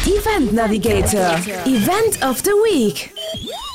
Event Navigator, Event of the Week!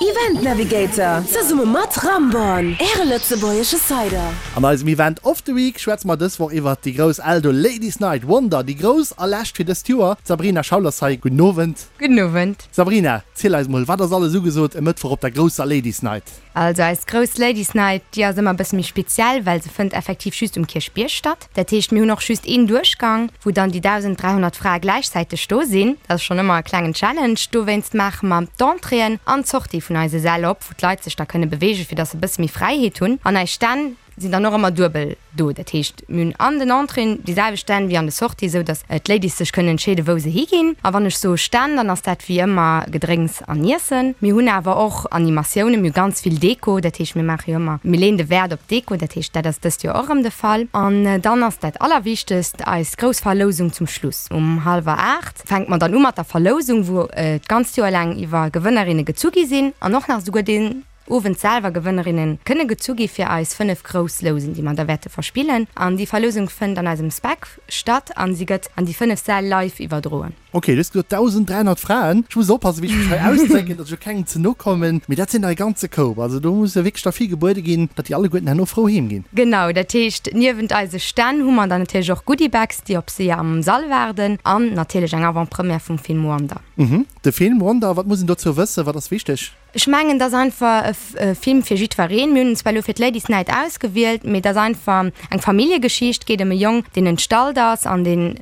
Event Navigator, zesumme mat Ramborn, Äre lëtzebuergesche Cider. An eisem Event of the Week schwätze mer dës Woch iwwert déi grouss Eldo Ladies Night Wonder, déi grouss a lescht fir dëst Joer. D'Sabrina Schaul ass hei. Gudden Owend. Gudden Owend. Sabrina, ziel eis mol, wat ass alles ugesot e Mëttwoch op der grousser Ladies Night? Also eis grouss Ladies Night, déi ass ëmmer e bësse méi speziell, well se fënnt effektiv just um Kierchbierg statt. Dat heescht, mir hunn och just een Duerchgang, wou dann déi 1.300 Frae gläichzäiteg do sinn. Dat ass schonn ëmmer e klengen Challenge. Dowéinst maache mer d'Entréeën an d'Sortie vun eise Säll op, wou d'Leit sech da kënne beweegen, fir dass se e bësse méi Fräiheet hunn. An eis Stänn sinn dann och ëmmer duebel do. Dat heescht, mir hunn an den Entréeën déi selwecht Stänn wéi an de Sortie, esou dass d'Ladies sech kënnen entscheeden, wou se higinn. A wann ech soe Stänn, dann ass dat wéi ëmmer Gedrénks an Iessen. Mir hunn awer och Animatiounen, mir hu ganz vill Deko, dat heescht, mir maache jo ëmmer, mir leeën de Wäert op d'Deko, dat heescht, dat ass dëst Joer och erëm de Fall. An dann ass dat Allerwichtegst eis grouss Verlousung zum Schluss. Um hallwer 8 fänke mer dann u mat der Verlousung, wou d'ganzt Joer laang iwwer Gewënnerinne gezu gi sinn an och nach esouguer deen Owend selwer Gewënnerinne kënne gezu gi fir eis 5 grouss Lousen, déi mer da wäerte verspillen. An déi Verlousung fënnt an eisem Spec statt an si gëtt an déi 5 Säll live iwwerdroen. Ok, du hues gesot 1.300 Fraen. Ech muss oppassen, wéi ech mech hei ausdrécken, datt ech jo kengem ze no kommen. Mee dat sinn der e ganze Koup. Also do muss jo wierklech da vill gebuede ginn, datt déi alleguerten herno frou heem ginn. Genau, dat heescht, niewent eise Stänn hu mer dann natierlech och Goodiebags, déi op si am Sall waarden an natierlech eng Avant-première vum Film Wonder. Mhm, de Film Wonder, wat muss een dozou wëssen? Wat ass wichteg? Ech mengen, et ass einfach e Film fir jiddwereen. Mir hunn en zwar elo fir d'Ladies Night ausgewielt, mee et ass einfach eng Familljegeschicht. Et geet ëm e Jong, deen entstallt ass an deen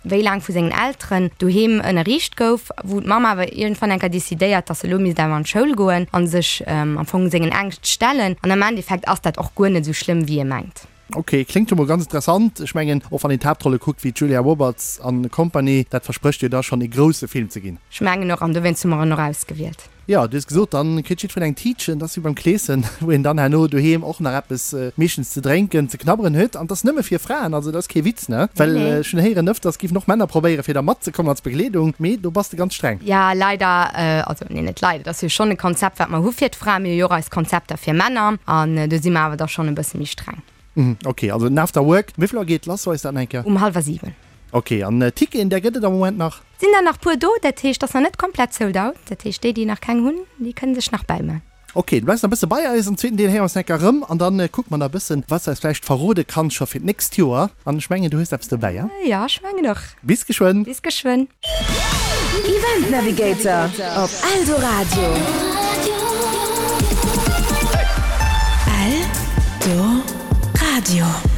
wéi laang vu sengen Elteren doheem ënnerriicht gouf, wou d'Mamm awer iergendwann eng Kéier decidéiert, dass e lo misst awer an d'Schoul goen a sech am Fong sengen Ängscht stellen. An am Endeffekt ass dat och guer net esou schlëmm, wéi e mengt. Ok, kléngt jo mol ganz interessant. Ech mengen, och wann een d'Haaptrolle kuckt wéi d'Julia Roberts an Company, dat versprécht jo da schonn ee grousse Film ze ginn. Ech mengen och, an dowéinst hu mer en och ausgewielt. Jo, du hues gesot, dann kritt jiddwereen eng Tiitchen. Dat ass wéi beim Kleeschen, wou een dann herno doheem och nach eppes meeschtens ze drénken, ze knabberen huet. An 't ass nëmme fir Fraen, also dat ass kee Witz, ne? Well ech hunn héieren, ëfters géifen och Männer probéieren, fir da matzekommen als Begleedung, mee do bass de ganz streng. Jo, leider, also nee, net leider, et ass jo schonn e Konzept, wat mer hu fir d'Fraen. Mir hu jo och eis Konzepter fir Männer an do si mer awer da schonn e bësse méi streng. Ok, also den After Work, wéi vill Auer geet lass? Weis dat nach eng Kéier? Um hallwer 7. Ok, an Ticketen, där gëtt et am Moment nach? Sinn der nach puer do, dat heescht, ass nach net komplett sold out. Dat heescht, déi, déi nach keng hunn, déi kënne sech nach bäiman. Ok, du bleifs nach e bësse bei eis. Am zweeten Deel héiere mer eis nach eng Kéier erëm an dann kucke mer nach e bëssen, wat s du eis vläicht verrode kanns scho fir d'nächst Joer. An ech mengen, du hues eppes dobäi, ja? Jo, ech mengen och. Bis geschwënn! Bis geschwënn! Event Navigator op Eldoradio. Eldoradio.